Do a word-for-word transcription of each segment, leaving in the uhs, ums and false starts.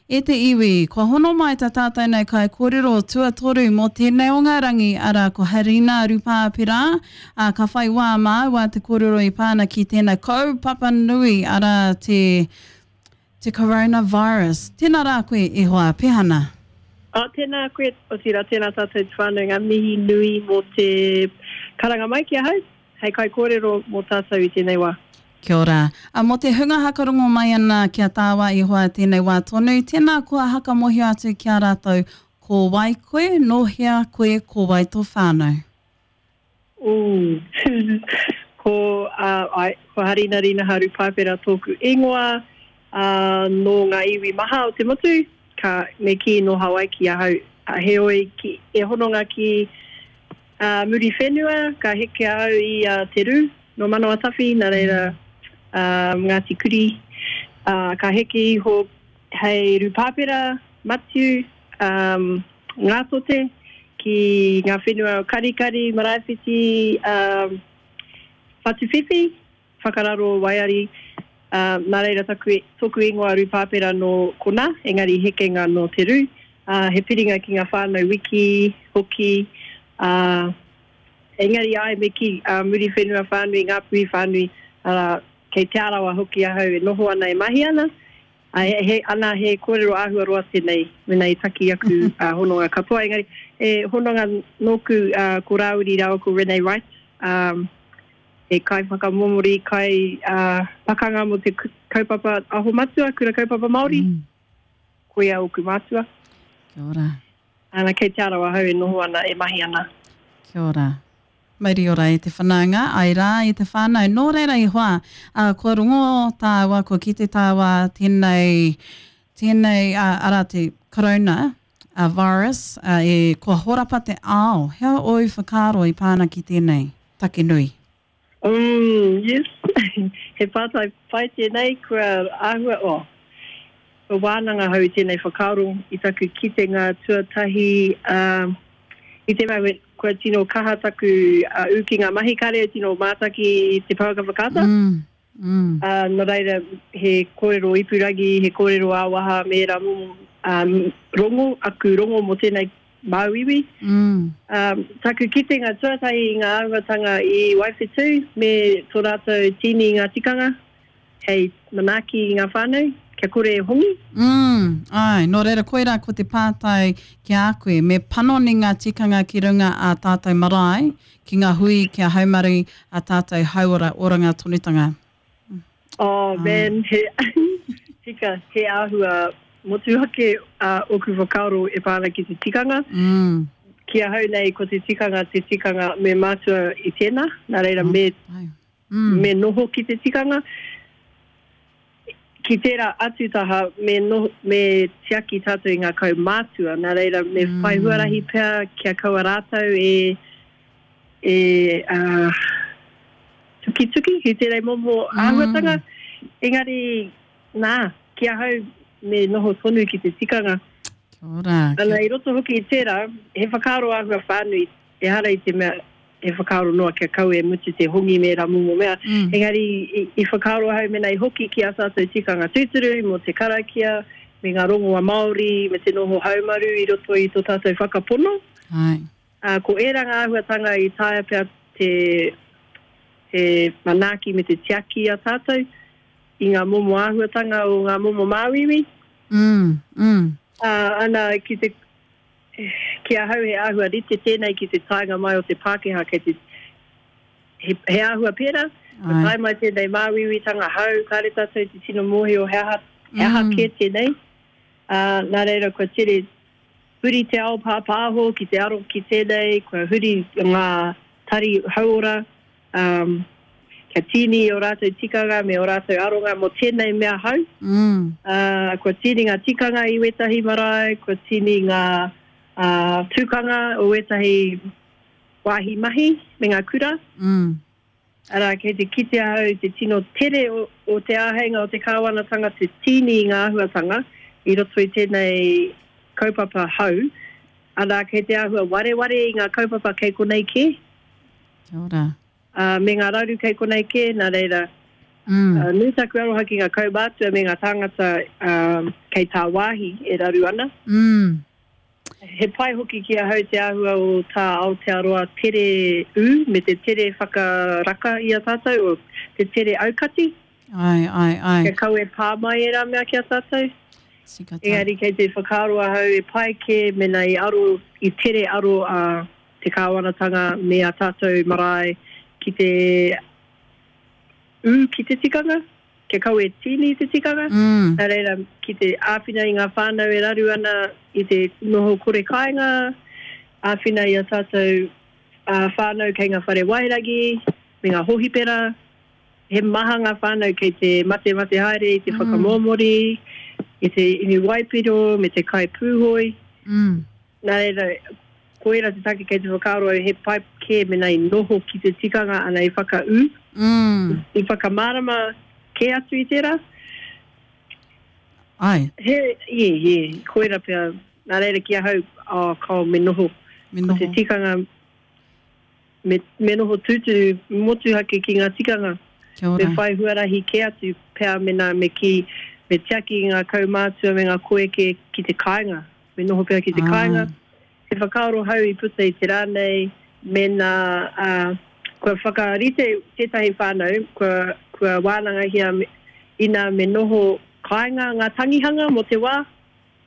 E te iwi, kua hono mai tā tātou nei kaikōrero tuatoru mō tēnei o ngā rangi, arā ko Harina Rupapera, ā, ka whai wā māua te kōrero i pā ana ki tēnei kaupapa nui, arā te, te coronavirus. Tēnā rā koe e hoa, Pehana. Oh, tēnā koe, otirā, tēnā tātou te whānau, ngā mihi nui mō te karanga mai ki ahau, hei kaikōrero mō tātou i tēnei wā. Kia ora. A mō te hunga hakarongo mai ana ki a tāua i hoa tēnei wā tonu, tēnā koa hakamohio atu ki a rātou, ko wai koe, nō hea koe, ko wai tō whānau? Ooh. Ko, uh, ai, ko Harina Rinaha Rupapera tōku ingoa, uh, nō ngā iwi maha o te motu, ka me kī nō Hawaiki ahau, heoi ki, e hononga ki uh, Muriwhenua, ka heke ahau i uh, Te Rū, nō Manawatawhi, nā reira um, Ngāti Kuri, uh, ka heke iho hei Rupapera, Matiu, um, Ngātote, ki ngā whenua o Karikari, Maraewhiti, um, Whatuwhiwhi, Whakararo, Waiari, uh, nā reira taku, tōku ingoa Rupapera nō kona, engari hekenga nō Te Rū, uh, he piringa ki ngā whānau wiki, hoki, uh, engari ai me ki uh, Muriwhenua whānui, Ngāpuhi whānui, uh, kei Te Arawa hoki ahau e noho ana e mahi ana. Uh, he, he, ana he kōrero āhua roa tēnei, mena i taki aku uh, hononga katoa. Engari, e hononga nōku uh, ko Rāwiri rāua ko Renee Wright, um, he kai whakamomori, kai uh, pakanga mō te kaupapa aho matua, kura kaupapa Māori. Mm. Koia ōku mātua. Kia ora. Ana, kei Te Arawa ahau e noho ana, e mahi ana. Kia ora. Mauri ora e te whanaunga, ai rā i te whānau. Nō reira i hoa, uh, kua rongo tāua, kua kite tāua tēnei, tēnei uh, arā te corona uh, virus, uh, e, kua horapa te ao. Hea ōu whakaaro i pāna ki tēnei take nui? Mm, yes. He pātai pai tēnei, kua āhua, oh, kua wānanga hau i tēnei whakaaro i taku kitenga tuatahi, uh, i te mea kua tino kaha taku uh, ū ki ngā mahi kare, tino mātaki i te pouaka whakaata. Mm, mm. Uh, nō reira, he kōrero ipurangi, he kōrero ā-waha, me ērā momo um, rongo, aku rongo mō tēnei māuiui. Mm. Um, taku kitenga tuatahi i ngā āhuatanga i Waiwhetū me tō rātou tīni i ngā tikanga, hei manaaki i ngā whānau, kia kore e hongi. Mm, ai, nō reira koirā ko te pātai ki a koe, me panoni ngā tikanga ki runga a tātou marae, ki ngā hui kia haumaru a tātou hauora oranga tonutanga. Oh, man, he, tika, he āhua motuhake uh, oku whakaaro e pā ana ki te tikanga. Mm. Ki ahau nei ko te tikanga, te tikanga me mātua i tēnā, nā reira me, mm. me noho ki te tikanga. Ki tērā atu taha, me, no, me tiaki tātou i ngā kaumātua, nā reira me mm. whai huarahi pea kia kaua rātou e, e uh, tukituki ki tērā momo mm. āhuatanga. Engari, nā, ki ahau me noho tonu ki te tikanga. Kia ora. Ana, i roto hoki i tērā, he whakaaro āhua whānui, ehara i te mea, he whakaaro noa kia kau e mutu te hongi me rā momo mea. Mm. Engari, i, i whakaaro ahau mena i hoki ki a tātou tikanga tūturu, mō te karakia, me ngā rongoa Māori, me te noho haumaru i roto i tō tātou whakapono. Ai. Uh, ko ērā ngā āhuatanga i taea pea te, te manaaki me te tiaki a tātou i ngā momo āhuatanga o ngā momo māuiui. Mm, mm. Uh, ana, ki te ki ahau he āhua rite tēnei ki te taenga mai o te Pākehā, kei te, he, he āhua pērā, ko tae mai tēnei māuiuitanga hau, kāre tātou te tino mōhio he aha, he aha Mm. kē tēnei. Uh, nā reira, kua tere huri te ao pāpāho ki te aro ki tēnei, kua huri ngā tari hauora, um, kia tīni o rātou tikanga me o rātou aronga mō tēnei mea hau. Mm. Uh, kua tīni ngā tikanga i wētahi marae, kua tīni ngā uh, tūkanga o wētahi wāhi mahi me ngā kura. Mm. Arā, kei te kite ahau te tino tere o, o te āheinga o te kāwanatanga te tīni i ngā āhuatanga i roto i tēnei kaupapa hau. Arā, kei te āhua wareware i ngā kaupapa kei konei kē. Kia ora. Uh, me ngā raru kei konei kē, nā reira, Mm. Uh, nui taku aroha ki ngā kaumātua me ngā tāngata um, kei tāwāhi e raru ana. Mm. He pai hoki ki ahau te āhua o tā Aotearoa tere ū me te tere whakaraka i a tātou, o te tere aukati. Ai, ai, ai. Kia kaua e pā mai ērā mea ki a tātou. Tika tā. Engari kei te whakaaro ahau e pai kē mena i aro, i tere aro a te kāwanatanga me a tātou marae ki te ū ki te tikanga, kia kaua e tīni te tikanga. Mm. Nā reira, ki te āwhina i ngā whānau e raru ana i te noho kore kāinga, āwhina i a tātou uh, whānau kei ngā whare wairangi, me ngā hohipera. He maha ngā whānau kei te mate mate haere, i te Mm. whakamōmori, i te inu waipiro, me te kai pūhoi. Mm. Nā reira, koira te take kei te whakaaro au, he pai kē mena i noho ki te tikanga ana i whakaū, Mm. i whakamārama kē atu i tērā. Ai, He, ie, ie, koira pea, nā reira ki ahau, oh, kao, me noho. me Ko te noho. tikanga, me, me noho tūturu motuhake ki ngā tikanga. Kia Me ora. whai huarahi kē atu pea mena me ki, me tiaki ngā kaumātua me ngā koeke ki te kāinga. Me noho pea ki te Ai. kāinga. He whakaaro hau i puta i te rā nei, mena uh, kua whakarite tētahi whānau, kua, kua wānangahia me, ina me noho kāinga ngā tangihanga mō te wā,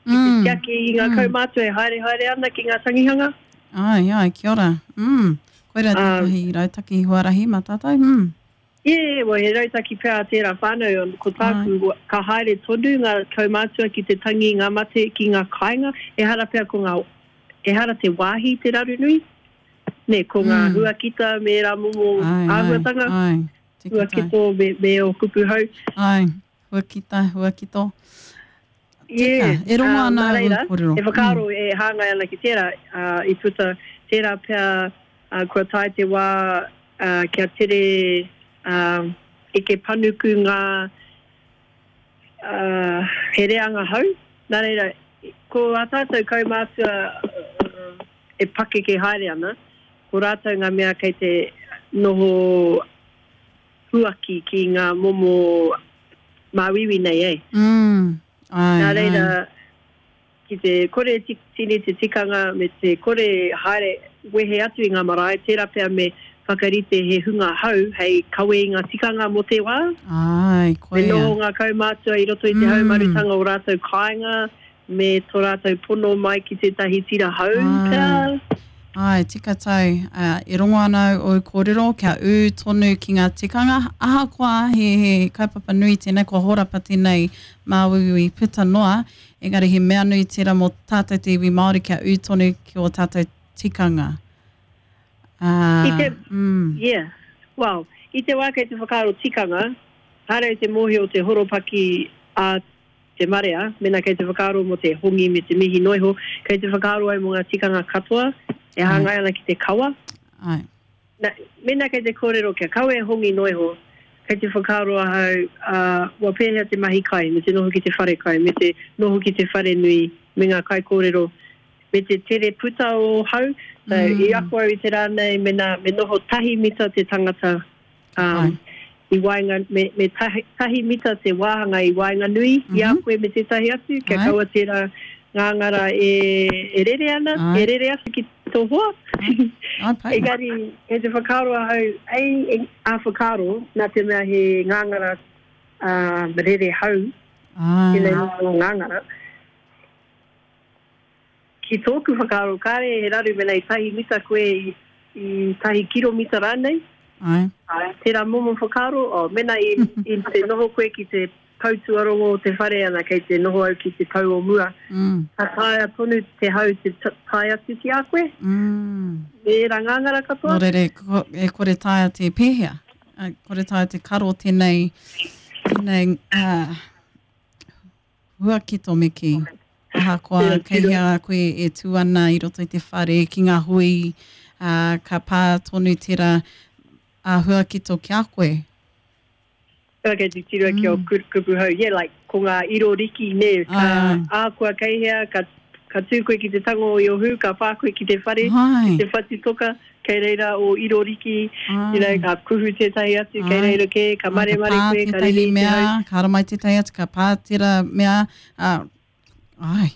ki te Mm. tiaki i ngā Mm. kaumātua e haere haere ana ki ngā tangihanga. Ai, ai, kia ora. Mm. Koira Um, tētahi rautaki huarahi mā tātou. Mm. Ie, yeah, well, he rautaki pea a tērā whānau, ko tāku, ka haere tonu ngā kaumātua ki te tangi ngā mate ki ngā kāinga, ehara pea ko ngā, ehara te wāhi te raru nui, ne, ko ngā Mm. huakita me rā momo Ai, ai, āhuatanga, ai. Tika tai. huakito me, me o kupu hau. Ai, huakita, huakito. Yeah, Tika, e rongo um, ana nā au reira, kōrero. He whakaaro e hāngai ana ki tērā, uh, i puta tērā pea uh, kua tae te wā uh, kia tere um, eke panuku ngā uh, he reanga hau. Nā reira, ko ā tātou kaumātua uh, e pakeke haere ana, ko rātou ngā mea kei te noho huaki ki ngā momo māuiui nei, e. Mm. Ai, Nā reira, ai. ki te kore ti- tini te tikanga me te kore haere wehe atu i ngā marae, tērā pea me whakarite he hunga hau hei kawe i ngā tikanga mō te wā. Ai, Me koia. noho ngā kaumātua i roto i te Mm. haumarutanga o rātou kāinga, me tō rātou pono mai ki tētahi tira hau Ai. pea. Ai, tika tau, uh, e rongo ana au kōrero kia ū tonu ki ngā tikanga. Ahakoa he, he kaupapa nui tēnei, kua horapa tēnei māuiui puta noa, engari he mea nui tērā mō tātou te iwi Māori kia ū tonu ki o tātou tikanga. Uh, I te- mm, Yeah. Well, i te wā kei te whakaaro tikanga, haere te mōhio te horopaki a te marea, mena kei te whakaaro mō te hongi me te mihi noiho, kei te whakaaro au mō ngā tikanga katoa, e hāngai ana ki te kawa. ai. Na, mena kei te kōrero kia kawe e hongi noiho, kei te whakaaro ahau, uh, wa pēhea te mahi kai, me te noho ki te whare kai, me te noho ki te whare nui, me ngā kai kōrero, me te tere puta o hau. So, Mm. i ako au i te rā nei, me, nā, me noho tahi mita te tangata um, i waenga, me, me tahi, tahi mita te wāhanga i waenganui mm -hmm. i a Mhm. koe me tētahi atu, kia Ai. kaua tērā ngāngara e, e rere ana, Ai. e rere atu ki tō hoa. Ai, pai. Engari, e te whakaaro ahau, ei, e, a whakaaro, nā te mea he ngāngara uh, rere hau, Ai. tēnei momo ngāngara. Ki tōku whakaaro, kāre he raru mena i tahi mita koe i, i tahi kiromita rānei. Ai. Tērā momo whakaaro, oh, mena i, i te noho koe ki te pou tuarongo o te whare ana, kei te noho au ki te pou o mua. Mm. Ka taea tonu te hau te ta- tae atu ki a koe, Mm. me ērā ngāngara katoa. Nō reira, ko, e kore taea te pēhea, e kore taea te karo tēnei, tēnei uh, huakito me ki. Ahakoa Tira, kei tira. hea koe e tū ana i roto i te whare ki ngā hui, uh, ka pā tonu tērā a huakito ki a koe. Pea kei te tiro ki o Mm. ku- kupu hau. Yeah, like, ko ngā iro riki, ne, ka Ai. ākua kei hea, ka, ka tū koe ki te tango i o hū, ka pā koe ki te whare, Hai. ki te whatitoka, Kei reira o Iroriki, you know, ka kuhu tētahi atu, kei reira kē, ka maremare koe, ka rere i te hau. Ka haramai tētahi atu, ka pā tērā mea, uh, ai,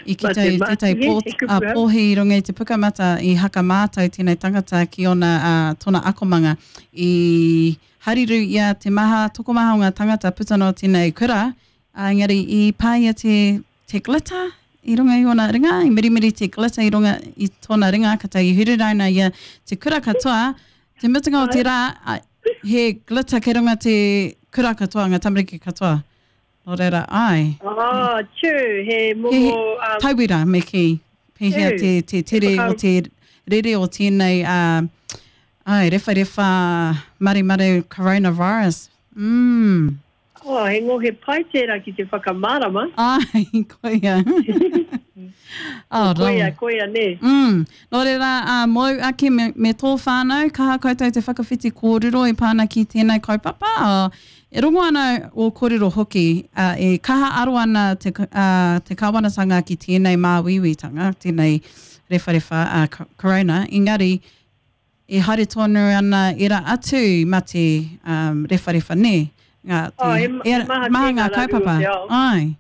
i kite i tētahi pōhi i runga i te pukamata i haka mātau tēnei tangata ki ona, uh, tōna akomanga. I hariru ia te maha, tokomaha o ngā tangata puta noa tēnei kura, uh, engari i pā ia te, te glitter i runga i ōna ringa, i mirimiri te glitter i runga i tōna ringa, ka tahi huriraina ia te kura katoa, te mutunga o te rā, he glitter kei runga te kura katoa, ngā tamariki katoa. Nō reira, ai. Ah, true, he momo... He, um, tauira, me kī. Pēhea te, te tere o te rere o tēnei, uh, ai, rewharewha maremare coronavirus. Mm. Oh, he ngohe pai tērā ki te whakamārama. Ai, koia. Oh, koia, koia, nē. Mm. Nō reira, uh, mōu ake me, me tō whānau, kaha koutou te whakawhiti kōrero e pā ana ki tēnei kaupapa. Uh, e rongo ana o kōrero hoki, uh, e kaha aro ana te, uh, te kāwanatanga ki tēnei māuiuitanga, tēnei rewharewha uh, corona, engari, e haere tonu ana era atu mate um, rewharewha, nē? Ngā, te, oh, e, e maha, maha ngā kaupapa. Ai.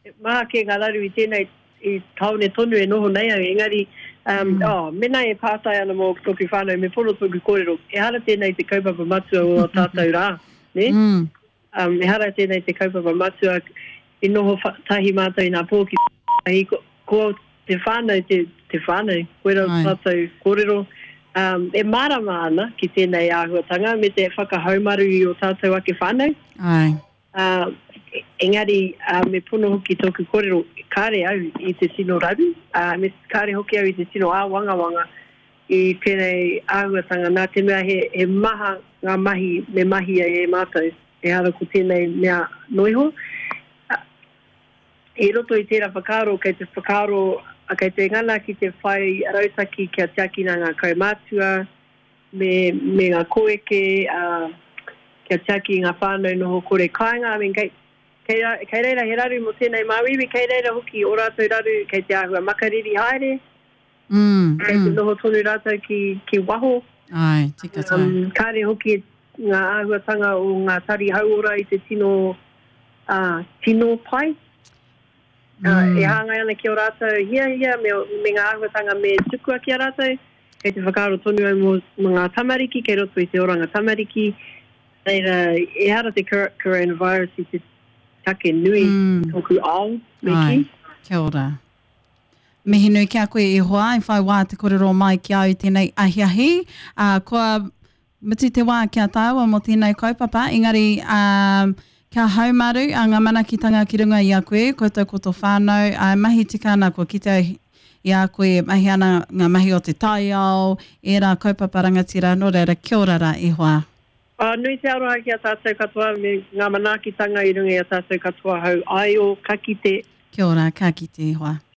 E maha kē ngā raru i tēnei i tāone tonu e noho nei au, engari, um, mm. oh, mena e pātai ana mō tōku whānau, me pono tōku kōrero, ehara tēnei te kaupapa matua o tātou rā, ne? Mm. Um, ehara tēnei te kaupapa matua, i noho tahi mātou i nā pō ki tahi, ko, ko te whānau, te, te whānau, koera tātou kōrero, um, e mārama ana ki tēnei āhuatanga me te whakahaumaru i o tātou ake whānau. Ai. Uh, engari, uh, me pono hoki tōku kōrero, kāre au i te tino raru, uh, me kāre hoki au i te tino āwangawanga i tēnei āhuatanga. Nā te mea he, he maha ngā mahi me mahi ai e mātou, ehara ko tēnei mea noiho. Uh, I roto i tērā whakaaro, kei te whakaaro, kei te ngana ki te whai rautaki kia tiakina ngā kaumātua, me, me ngā koeke, uh, kia tiaki ngā whānau noho kore kāinga. I mean, kei, kei, kei reira he raru mō tēnei māuiui, kei reira hoki o rātou raru, kei te āhua makariri haere, mm, kei te mm. noho tonu rātou ki, ki waho. Ai, tika tā. Um, kāre hoki ngā āhuatanga o ngā tari hauora i te tino, uh, tino pai. Uh, e hāngai ana ki o rātou hiahia me, me ngā āhuatanga me tukua ki a rātou. Kei te whakaaro tonu au mō, mō ngā tamariki, kei roto i te oranga tamariki. Reira, ehara te coronavirus i te take nui mm. tōku ao, me Ai, ki. Kia ora. Mihi nui ki a koe e hoa, i whai wā te kōrero mai ki au tēnei ahiahi. Uh, kua mutu te wā kia tāua mō tēnei kaupapa, engari um, kia haumaru a ngā manakitanga ki runga i a koe, koutou ko tō whānau, a mahi tika ana kua kite i a koe e mahi ana ngā mahi o te taiao, ērā kaupapa rangatira, nō reira, kia ora rā e hoa. Uh, nui te aroha ki a tātou katoa me ngā manaakitanga i runga i a tātou katoa hau aio, ka kite. Kia ora, ka kite e hoa.